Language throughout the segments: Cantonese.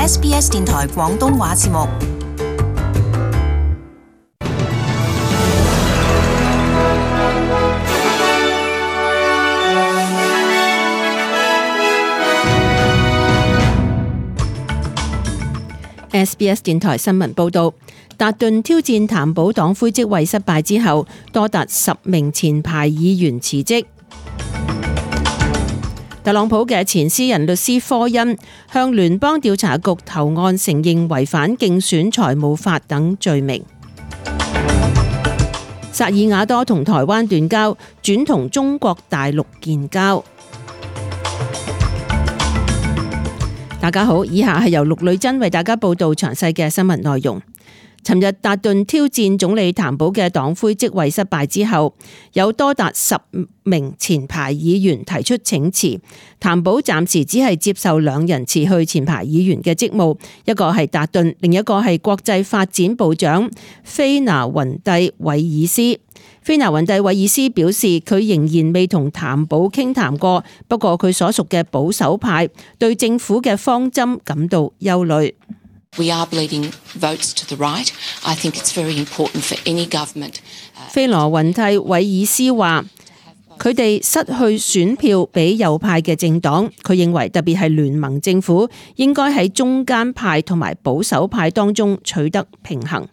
SBS 電台廣東話節目。SBS 電台新聞報道，達頓挑戰譚寶黨魁職位失敗之後，多達10名前排議員辭職。特朗普嘅前私人律師科恩向聯邦調查局投案，承認違反競選財務法等罪名。薩爾瓦多同台灣斷交，轉同中國大陸建交。大家好，以下係由陸女珍為大家報道詳細嘅新聞內容。尋日達頓挑戰總理譚寶嘅黨魁職位失敗之後，有多達10名前排議員提出請辭。譚寶暫時只係接受2人辭去前排議員嘅職務，一個係達頓，另一個係國際發展部長菲拿雲蒂韋爾斯。菲拿雲蒂韋爾斯表示，佢仍然未同譚寶傾談過，不過佢所屬嘅保守派對政府嘅方針感到憂慮。We are bleeding votes to the right. I think it's very important for any government. 菲拿雲蒂韋爾斯話，佢哋失去選票俾右派嘅政黨，佢認為特別係聯盟政府應該喺中間派同埋保守派當中取得平衡。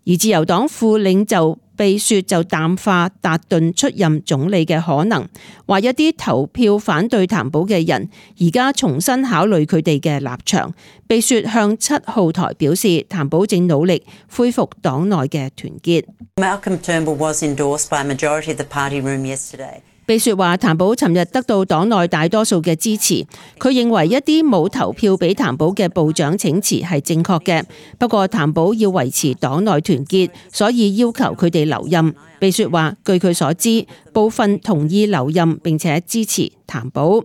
而自由黨副領袖秘書就淡化達頓出任總理嘅可能，話一啲投票反對譚寶嘅人而家重新考慮佢哋嘅立場。秘書向7號台表示，譚寶正努力恢復黨內嘅團結。Malcolm Turnbull was endorsed by a majority of the party room yesterday. 秘書話，譚寶尋日得到黨內大多數嘅支持，佢認為一啲冇投票俾譚寶嘅部長請辭係正確嘅，不過譚寶要維持黨內團結，所以要求佢哋留任。秘書話，據佢所知，部分同意留任並且支持譚寶。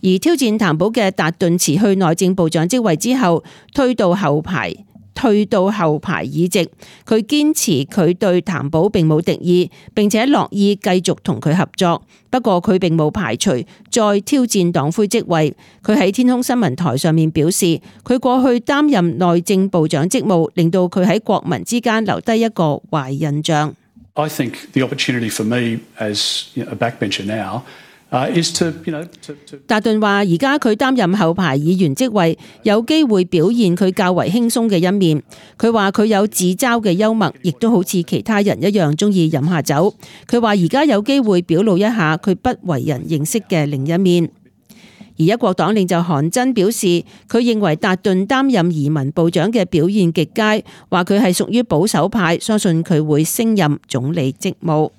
而挑戰譚寶嘅達頓辭去內政部長職位之後，退到後排議席，佢堅持佢對譚寶並冇敵意，並且樂意繼續同佢合作。不過佢並冇排除再挑戰黨魁職位。佢喺天空新聞台上面表示，佢過去擔任內政部長職務，令到佢喺國民之間留低一個壞印象。I think the opportunity for me as a backbencher now達頓話：而家佢擔任後排議員職位，有機會表現佢較為輕鬆嘅一面。佢話佢有自嘲嘅幽默，亦都好似其他人一樣中意飲下酒。佢話而家有機會表露一下佢不為人認識嘅另一面。而一國黨領袖韓真表示，佢認為達頓擔任移民部長嘅表現極佳，話佢係屬於保守派，相信佢會升任總理職務。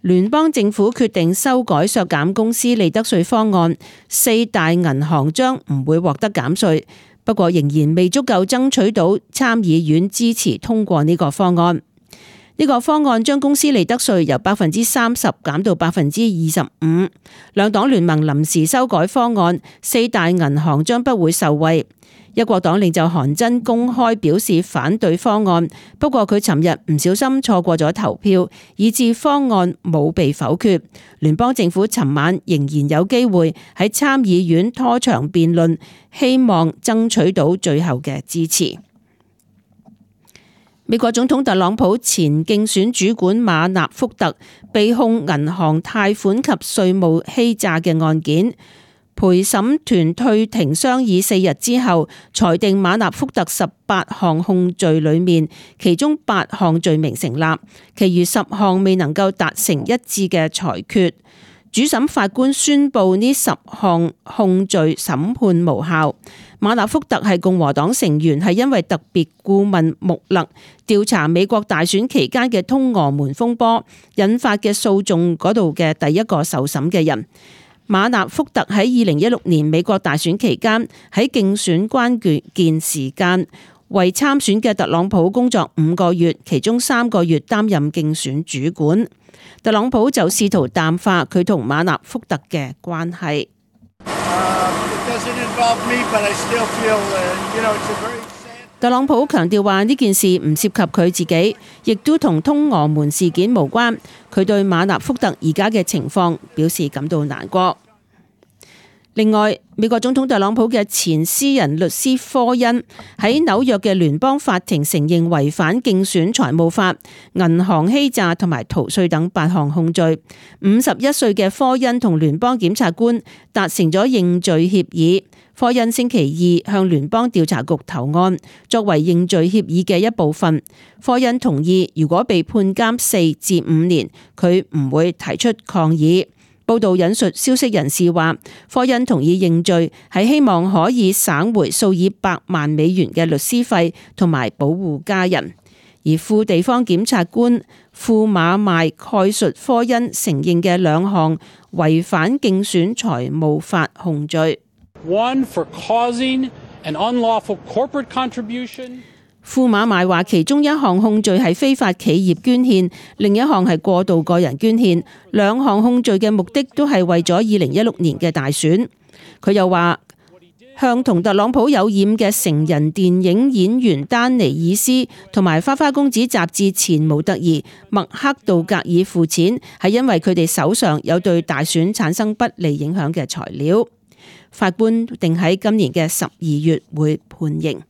聯邦政府決定修改削減公司利得稅方案，4大銀行將唔會獲得減稅，不過仍然未足夠爭取到參議院支持通過呢個方案。呢個方案將公司利得稅由 30% 減到 25%。兩黨聯盟臨時修改方案，4大銀行將不會受惠。一國黨領袖韓真公開表示反對方案，不過佢尋日唔小心錯過咗投票，以致方案冇被否決。聯邦政府尋晚仍然有機會喺參議院拖長辯論，希望爭取到最後嘅支持。美國總統特朗普前競選主管馬納福特被控銀行貸款及稅務欺詐嘅案件。陪審團退庭商議4日之後，裁定馬納福特18項控罪裏面，其中8項罪名成立，其餘10項未能夠達成一致嘅裁決。主審法官宣布呢10項控罪審判無效。馬納福特係共和黨成員，係因為特別顧問穆勒調查美國大選期間嘅通俄門風波引發嘅訴訟嗰度嘅第一個受審嘅人。馬納福特喺2016年美國大選期間喺競選關鍵時間為參選嘅特朗普工作5個月，其中3個月擔任競選主管。特朗普就試圖淡化佢同馬納福特嘅關係。特朗普強調話呢件事唔涉及佢自己，亦都同通俄門事件無關。佢對馬納福特而家嘅情況表示感到難過。另外，美國總統特朗普嘅前私人律師科恩喺紐約嘅聯邦法庭承認違反競選財務法、銀行欺詐同埋逃稅等8項控罪。51歲嘅科恩同聯邦檢察官達成咗認罪協議。科恩星期二向聯邦調查局投案，作為認罪協議嘅一部分。科恩同意，如果被判監4至5年，佢唔會提出抗議。報道引述消息人士話，科恩同意認罪係希望可以省回數以百萬美元嘅律師費同埋保護家人。而副地方檢察官庫馬邁概述科恩承認嘅2項違反競選財務法控罪。One for causing an unlawful corporate contribution. 庫馬邁話，其中1項控罪係非法企業捐獻，另一項係過度個人捐獻。2項控罪嘅目的都係為咗2016年嘅大選。佢又話，向同特朗普有染嘅成人電影演員丹尼爾斯同埋花花公子雜誌前模特兒麥克道格爾付錢，係因為佢哋手上有對大選產生不利影響嘅材料。法官定喺今年嘅12月會判刑。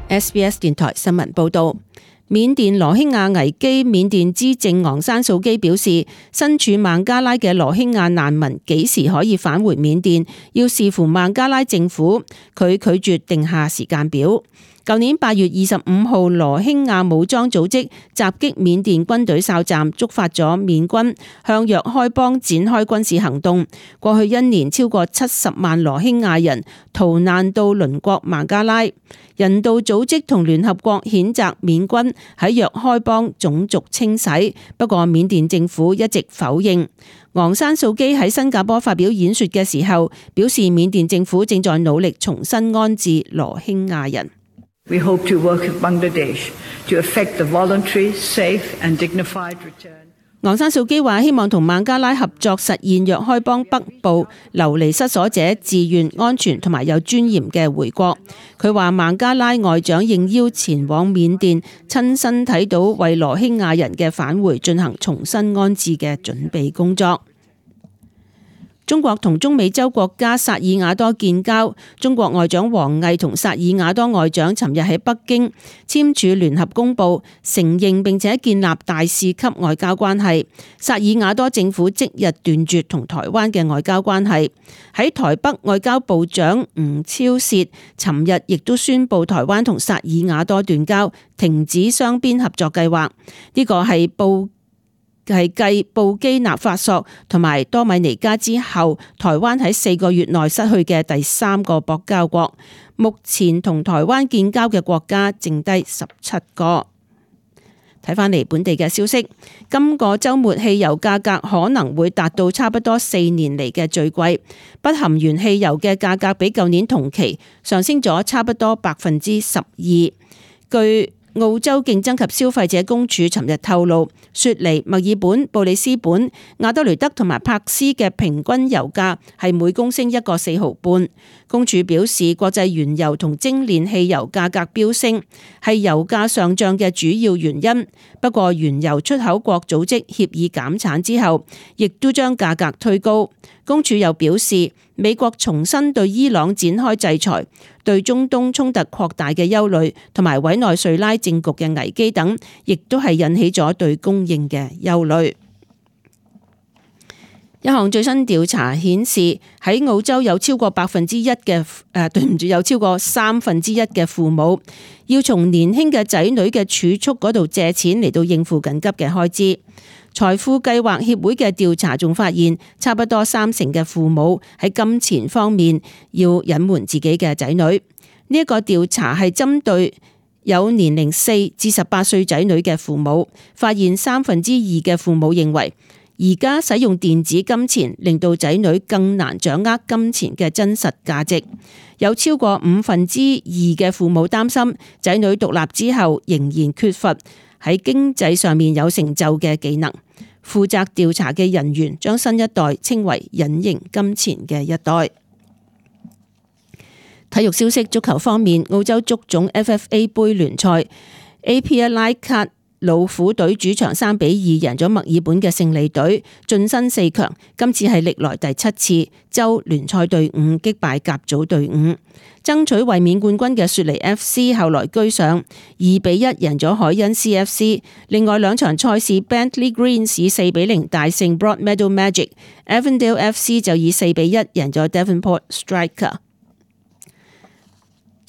SBS 電台新聞報道，緬甸羅興亞危機，緬甸資政昂山素基表示，身處孟加拉嘅羅興亞難民幾時可以返回緬甸，要視乎孟加拉政府。佢拒絕定下時間表。舊年8月25號，羅興亞武裝組織襲擊緬甸軍隊哨站，觸發咗緬軍向若開邦展開軍事行動。過去1年，超過70萬羅興亞人逃難到鄰國孟加拉。人道組織同聯合國譴責緬軍喺若開邦種族清洗，不過緬甸政府一直否認。昂山素基喺新加坡發表演說嘅時候，表示緬甸政府正在努力重新安置羅興亞人。We hope to work with Bangladesh to effect the voluntary, safe and dignified return. 昂山素基話希望同孟加拉合作，實現若開邦北部流離失所者自願、安全同埋有尊嚴嘅回國。佢話孟加拉外長應邀前往緬甸，親身睇到為羅興亞人嘅返回進行重新安置嘅準備工作。中國同中美洲國家薩爾瓦多建交，中國外長王毅同薩爾瓦多外長尋日喺北京簽署聯合公報，承認並且建立大使級外交關係。薩爾瓦多政府即日斷絕同台灣嘅外交關係。喺台北，外交部長吳釗燮尋日亦都宣布台灣同薩爾瓦多斷交，停止雙邊合作計劃。呢個係繼布基納法索同埋多米尼加之後，台灣喺4個月內失去嘅第3個邦交國。目前同台灣建交嘅國家剩低17個。睇返嚟本地嘅消息，今個週末汽油價格可能會達到差不多4年嚟嘅最貴，不含原汽油嘅價格比舊年同期上升咗差不多12%。據澳洲競爭及消費者公署尋日透露，雪梨、墨爾本、布里斯本、亞德雷德同埋柏斯嘅平均油價係每公升1個4毫半。公署表示，國際原油同精煉汽油價格飆升係油價上漲嘅主要原因。不過，原油出口國組織協議減產之後，亦都將價格推高。公署又表示，美國重新對伊朗展開制裁，對中東衝突擴大嘅憂慮同埋委內瑞拉政局嘅危機等，亦都係引起咗對供應嘅憂慮。一項最新調查顯示，喺澳洲有超過有超過1/3嘅父母要從年輕嘅仔女嘅儲蓄嗰度借錢嚟到應付緊急嘅開支。財富計劃協會嘅調查仲發現，差不多30%嘅父母喺金錢方面要隱瞞自己嘅仔女。呢一個調查係針對有年齡4至18歲仔女嘅父母，發現2/3嘅父母認為，而家使用電子金錢令到仔女更難掌握金錢嘅真實價值。有超過2/5嘅父母擔心仔女獨立之後仍然缺乏喺經濟上面有成就嘅技能。負責調查嘅人員將新一代稱為隱形金錢嘅一代。體育消息，足球方面，澳洲足總 FFA 杯聯賽 APL 卡老虎隊主場3-2贏咗墨爾本嘅勝利隊，晉身4強。今次係歷來第7次州聯賽隊伍擊敗甲組隊伍。爭取衛冕冠軍嘅雪梨 FC 後來居上，2-1贏咗海恩 CFC。另外2場賽事 Bentley Greens 以4-0大勝 Broadmeadow Magic，Avondale FC 就以4-1贏咗 Devonport Striker。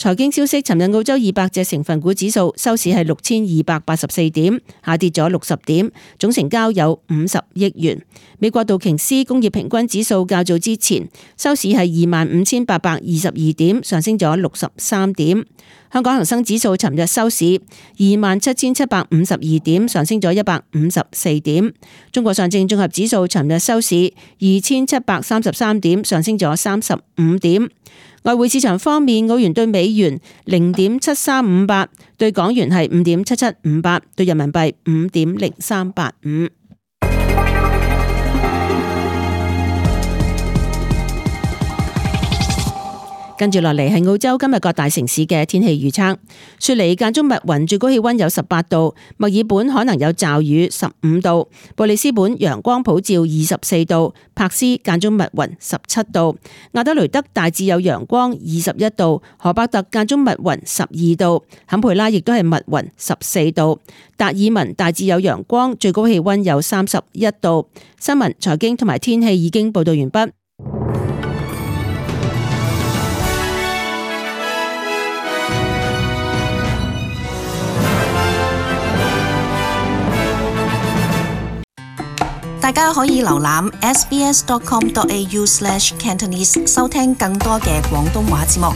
財經消息，尋日澳洲200隻成分股指數收市係6284點，下跌咗60點，總成交有50億元。美國道瓊斯工業平均指數較早之前收市係25,822點，上升咗63點。香港恒生指數尋日收市27,752點，上升咗154點。中國上證綜合指數尋日收市2,733點，上升咗35點。外匯市場方面，澳元對美元0.7358，對港元係5.7758，對人民幣5.0385。跟住落嚟係澳洲今日各大城市嘅天氣預測。雪梨間中密雲，最高氣溫有18度；墨爾本可能有驟雨15度；布里斯本陽光普照24度；柏斯間中密雲17度；亞德雷德大致有陽光21度；荷伯特間中密雲12度；坎培拉亦都係密雲14度；達爾文大致有陽光，最高氣溫有31度。新聞、財經同埋天氣已經報道完畢。大家可以瀏覽 sbs.com.au/Cantonese 收聽更多嘅廣東話節目。